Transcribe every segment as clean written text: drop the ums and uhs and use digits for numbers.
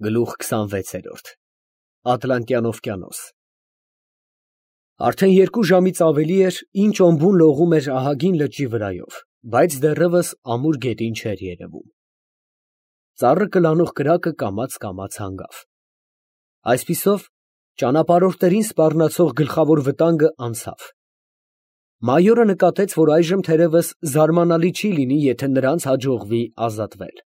Գլուխ 26 Ատլանտյան օվկիանոս Արդեն 2 ժամից ավելի էր, ինչ օմբուն լողում էր ահագին լճի վրայով, բայց դեռևս ամուր գետին չէր երևում։ Ծառը կլանող կրակը կամաց հանգավ։ Այսպիսով, ճանապարհորդներին սպառնացող գլխավոր վտանգը անցավ։ Մայորը նկատեց, որ այժմ թերևս զարմանալի չի լինի, եթե նրանց հաջողվի ազատվել։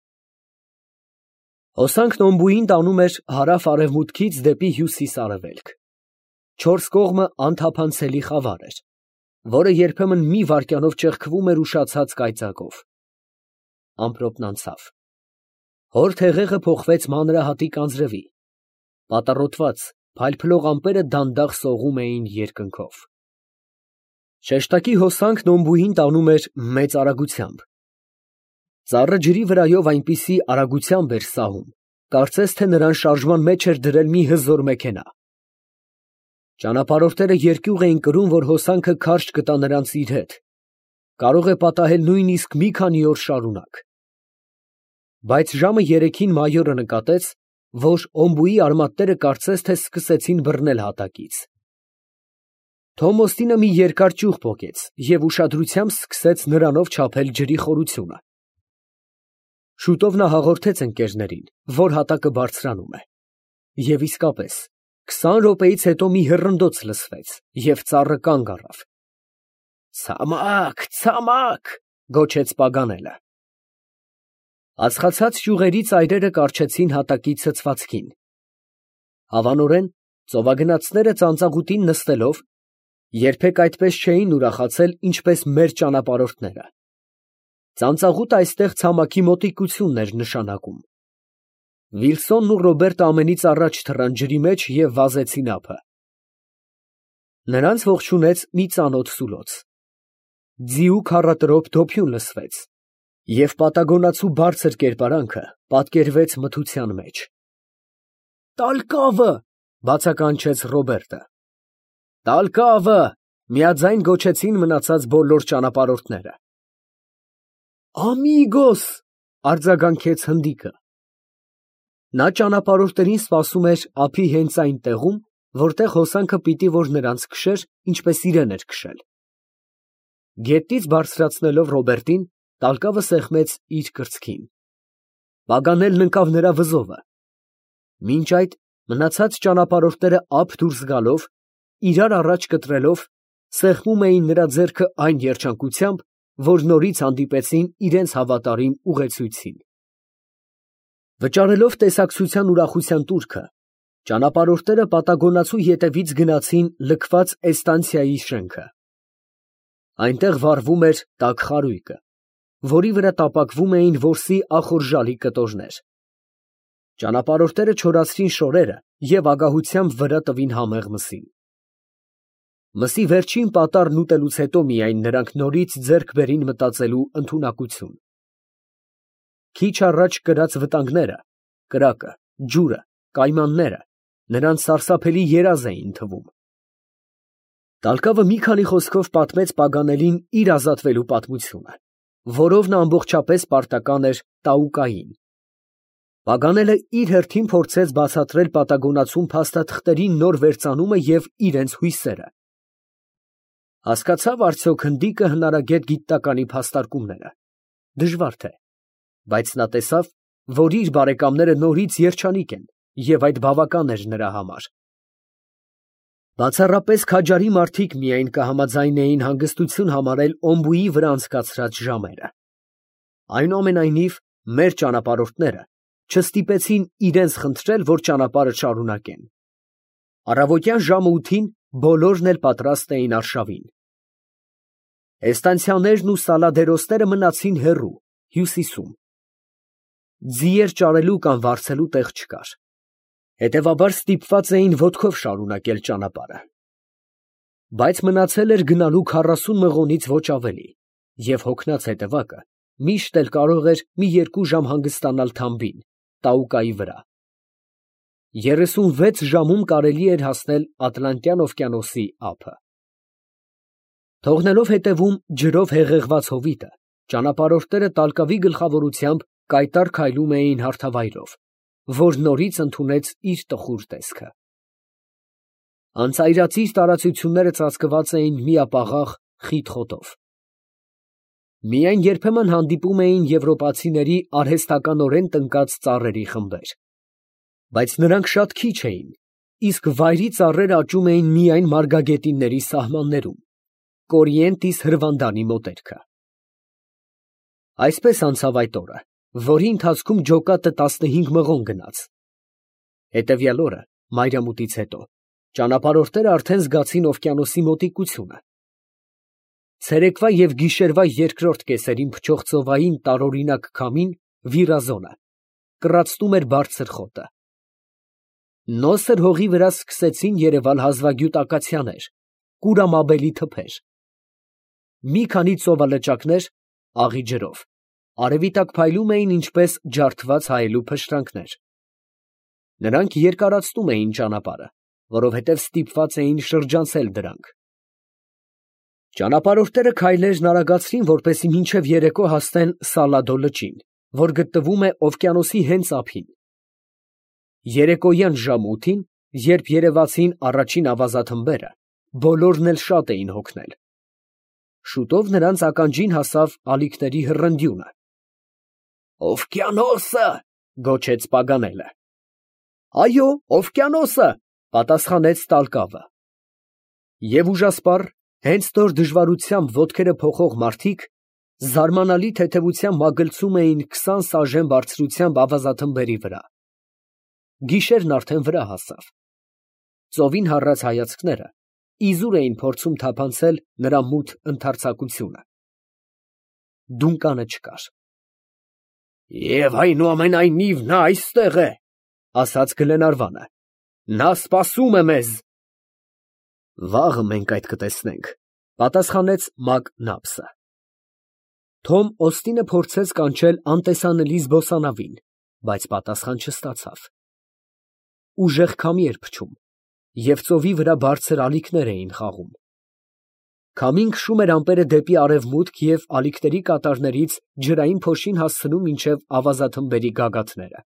Հոսանքն օմբուին տանում էր հարավ֊արևմուտքից դեպի հյուսիս֊արևելք։ 4 կողմը անթափանցելի խավար էր, որը երբեմն մի վայրկյանով ճեղքվում էր ուշացած կայծակով։ Ամպրոպն անցավ։ Հոր թեղեղը փոխվեց մանրահատիկ անձրևի։ Պատառոտված, փայլփլող ամպերը դանդաղ սողում էին երկնքով։ Շեշտակի հոսանքն օմբուին տանում էր մեծ արագությամբ։ Ծառը ջրի վրայով այնպիսի արագությամբ էր սահում, կարծես թե նրան շարժման մեջ էր դրել մի հզոր մեքենա։ Ճանապարհորդները երկյուղ էին կրում, որ հոսանքը քարշ կտա նրանց իր հետ, կարող է պատահել նույնիսկ մի քանի օր շարունակ։ Բայց ժամը 3-ին մայորը նկատեց, որ օմբուի արմատները կարծես թե սկսեցին բռնել հատակից։ Թոմ Օստինը մի երկար ճյուղ պոկեց և ուշադրությամբ սկսեց նրանով չափել ջրի խորությունը։ Շուտով նա հաղորդեց ընկերներին, որ հատակը բարձրանում է։ Եվ իսկապես, 20 րոպեից հետո մի հռնդոց լսվեց, և ծառը կանգ առավ։ «Ցամաք, ցամաք», գոչեց Պագանելը։ Ածխացած ճյուղերի ծայրերը կառչեցին հատակի ցցվածքին։ Հավանորեն, ծովագնացները ծանծաղուտին նստելով, երբեք այդպես չէին ուրախացել, ինչպես մեր ճանապարհորդները։ Ծանծաղուտը այստեղ ցամաքի մոտիկությունն էր նշանակում։ Վիլսոնն ու Ռոբերտը ամենից առաջ թռան ջրի մեջ և վազեցին ափը։ Նրանց ողջունեց մի ծանոթ սուլոց։ Ձիու քառատրոփ դոփյուն լսվեց, և պատագոնացու բարձր կերպարանքը պատկերվեց մթության մեջ։ «Տալկավը», բացականչեց Ռոբերտը։ «Տալկավը», միաձայն գոչեցին մնացած բոլոր ճանապարհորդները։ «Ամիգոս», արձագանքեց հնդիկը։ Նա ճանապարհորդներին սպասում էր ափի հենց այն տեղում, որտեղ հոսանքը պիտի որ նրանց քշեր, ինչպես իրեն էր քշել։ Գետից բարձրացնելով Ռոբերտին, տալկավը սեղմեց իր կրծքին։ Պագանելն ընկավ նրա վզովը։ Մինչ այդ մնացած ճանապարհորդները ափ դուրս գալով, իրար առաջ կտրելով, սեղմում էին նրա ձեռքը այն երջանկությամբ, որ նորից հանդիպեցին իրենց հավատարիմ ուղեկցույցին։ Վճարելով տեսակցության ուրախության տուրքը, ճանապարհորդները պատագոնացու ետևից գնացին լքված էստանցիայի շենքը։ Այնտեղ վառվում էր տաք խարույկը, որի վրա տապակվում էին որսի ախորժալի կտորներ։ Ճանապարհորդները չորացրին շորերը և ագահությամբ վրա տվին համեղ մսին։ Մսի վերջին պատառն ուտելուց հետո միայն նրանք նորից ձեռք բերին մտածելու ընդունակություն։ Քիչ առաջ կրած վտանգները, կրակը, ջուրը, կայմանները նրանց սարսափելի երազ էին թվում։ Տալկավը մի քանի խոսքով պատմեց Պագանելին իր ազատվելու պատմությունը, որով նա ամբողջապես պարտական էր Տաուկային։ Պագանելը իր հերթին փորձեց բացատրել պատագոնացուն փաստաթղթերի նոր վերծանումը և իրենց հույսերը։ Հասկացա՞վ արդյոք հնդիկը հնարագետ գիտականի փաստարկումները։ Դժվար թե, բայց նա տեսավ, որ իր բարեկամները նորից երջանիկ են, և այդ բավական էր նրա համար։ Բացառապես քաջարի մարդիկ միայն կհամաձայնեին հանգստություն համարել օմբուի վրա անցկացրած ժամերը։ Այնուամենայնիվ, մեր ճանապարհորդները չստիպեցին իրենց խնդրել, որ ճանապարհը շարունակեն։ Առավոտյան ժամը 8-ին բոլորն էլ պատրաստ էին արշավին։ Էստանցիաներն ու սալադերոսները մնացին հեռու, հյուսիսում։ Ձիեր ճարելու կամ վարձելու տեղ չկար։ Հետևաբար ստիպված էին ոտքով շարունակել ճանապարհը։ Բայց մնացել էր գնալու 40 մղոնից ոչ ավելի, և հոգնած հետևակը միշտ էլ կարող էր մի 2 ժամ հանգստանալ թամբին, Տաուկայի վրա։ 36 ժամում կարելի էր հասնել Ատլանտյան օվկիանոսի ափը։ Թողնելով հետևում ջրով հեղեղված հովիտը, ճանապարհորդները տալկավի գլխավորությամբ կայտառ քայլում էին հարթավայրով, որ նորից ընդունեց իր տխուր տեսքը։ Անծայրածիր տարածությունները ծածկված էին միապաղաղ խիտ խոտով։ Միայն երբեմն հանդիպում էին եվրոպացիների արհեստականորեն տնկած ծառերի խմբեր, բայց նրանք շատ քիչ էին, իսկ վայրի ծառերը աճում էին միայն մարգագետինների սահմաններում, Կորիենտիս հրվանդանի մոտերքը։ Այսպես անցավ այդ օրը, որի ընթացքում ջոկատը 15 մղոն գնաց։ Հետևյալ օրը, մայրամուտից հետո, ճանապարհորդները արդեն զգացին օվկիանոսի մոտիկությունը։ Ցերեկվա և գիշերվա երկրորդ կեսերին փչող ծովային տարօրինակ քամին վիրազոնը կռացնում էր բարձր խոտը։ Նոսր հողի վրա սկսեցին երևալ հազվագյուտ ակացիաներ, կուրամաբելի թփեր։ Մի քանի ծովալճակներ, աղի ջրով, արևի տակ փայլում էին ինչպես ջարդված հայելու փշրանքներ։ Նրանք երկարացնում էին ճանապարհը, որովհետև ստիպված էին շրջանցել դրանք։ Ճանապարհորդները քայլերն արագացրին, որպեսզի մինչև երեկո հասնեն Սալադո լճին, որ գտնվում է օվկիանոսի հենց ափին։ Երեկոյան ժամը 8-ին, երբ երևացին առաջին ավազաթմբերը, բոլորն էլ շատ էին հոգնել։ Շուտով նրանց ականջին հասավ ալիքների հռնդյունը։ «Օվկիանոսը!» գոչեց Պագանելը։ «Այո, օվկիանոսը!» պատասխանեց Տալկավը։ Եվ ուժասպառ, հենց նոր դժվարությամբ ոտքերը փոխող մարդիկ զարմանալի թեթևությամբ մագլցում էին 20 սաժեն բարձրությամբ ավազաթմբերի վրա։ Գիշերն արդեն վրա հասավ։ Ծովին հառած հայացքները իզուր էին փորձում թափանցել նրա մութ ընդարձակությունը։ Դունկանը չկար։ «Եվ այնուամենայնիվ նա այստեղ է», ասաց Գլենարվանը։ «Նա սպասում է մեզ»։ «Վաղը մենք այդ կտեսնենք», պատասխանեց Մակնապսը։ Թոմ Օստինը փորձեց կանչել անտեսանելի զբոսանավին, բայց պատասխան չստացավ։ Ուժեղ քամի էր փչում, և ծովի վրա բարձր ալիքներ էին խաղում։ Քամին քշում էր ամպերը դեպի արևմուտք և ալիքների կատարներից ջրային փոշին հասցնում մինչև ավազաթմբերի գագաթները։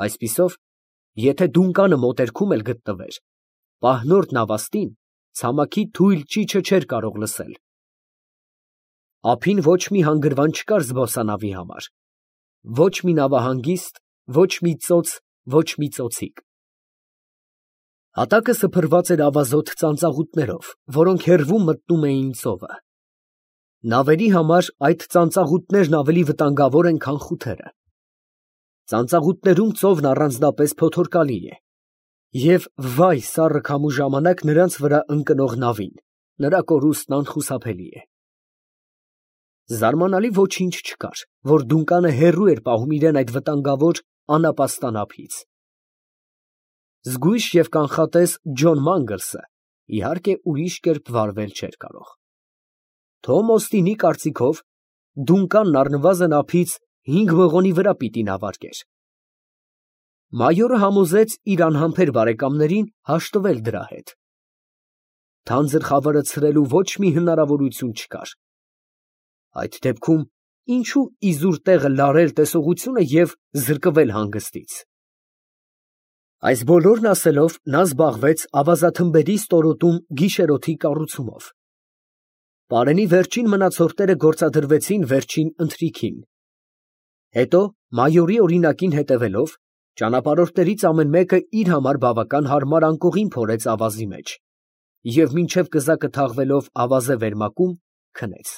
Այսպիսով, եթե դունկանը մոտերքում էլ գտնվեր, պահնորդն Ավաստին ցամաքի թույլ ճիչը չէր կարող լսել։ Ափին ոչ մի հանգրվան չկար զբոսանավի համար, ոչ մի նավահանգիստ, ոչ մի ծոց, ոչ մի ծոցիկ։ Հատակը սփռված էր ավազոտ ծանծաղուտներով, որոնք հեռվում մտնում էին ծովը։ Նավերի համար այդ ծանծաղուտներն ավելի վտանգավոր են, քան խութերը։ Ծանծաղուտներում ծովն առանձնապես փոթորկալի է, և վայ սառը քամու ժամանակ նրանց վրա ընկնող նավին, նրա կորուստն անխուսափելի է։ Զարմանալի ոչինչ չկար, որ դունկանը հեռու էր պահում իրեն այդ վտանգավոր անապաստան ափից։ Զգույշ և կանխատես Ջոն Մանգլսը, իհարկե, ուրիշ կերպ վարվել չէր կարող։ Թոմ Օստինի կարծիքով, դունկանն առնվազն ափից 5 մղոնի վրա պիտի նավարկեր։ Մայորը համոզեց իր անհամբեր բարեկամներին հաշտվել դրա հետ։ Թանձր խավարը ցրելու ոչ մի հնարավորություն չկար։ Այդ դեպքում ինչու իզուր տեղը լարել տեսողությունը և զրկվել հանգստից։ Այս բոլորն ասելով, նա զբաղվեց ավազաթմբերի ստորոտում գիշերօթի կառուցումով։ Պարենի վերջին մնացորդները գործադրվեցին վերջին ընթրիքին։ Հետո, մայորի օրինակին հետևելով, ճանապարհորդներից ամեն մեկը իր համար բավական հարմար անկողին փորեց ավազի մեջ և մինչև կզակը թաղվելով ավազե վերմակում, քնեց։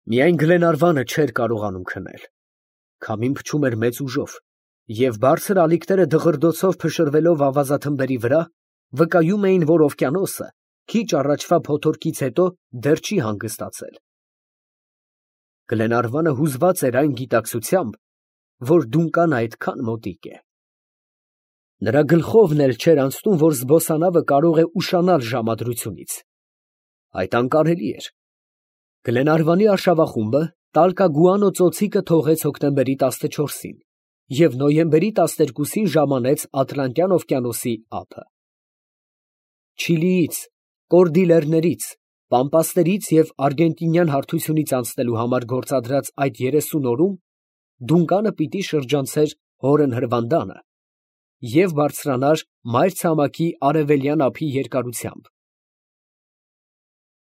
Միայն Գլենարվանը չէր կարողանում քնել։ Քամին փչում էր մեծ ուժով, և բարձր ալիքները դղրդոցով փշրվելով ավազաթմբերի վրա, վկայում էին, որ օվկիանոսը քիչ առաջվա փոթորկից հետո դեռ չի հանգստացել։ Գլենարվանը հուզված էր այն գիտակցությամբ, որ դունկանը այդքան մոտիկ է։ Նրա գլխովն էլ չէր անցնում, որ զբոսանավը կարող է ուշանալ ժամադրությունից։ Այդ անկարելի էր։ Գլենարվանի արշավախումբը Տալկագուանո ծոցիկը թողեց հոկտեմբերի 14-ին և նոյեմբերի 12-ին ժամանեց Ատլանտյան օվկիանոսի ափը։ Չիլիից, Կորդիլերներից, Պամպասներից և Արգենտինյան հարթությունից անցնելու համար գործադրած այդ 30 օրում Դունկանը պիտի շրջանցեր հորն հրվանդանը և բարձրանար մայր ցամաքի արևելյան ափի երկարությամբ։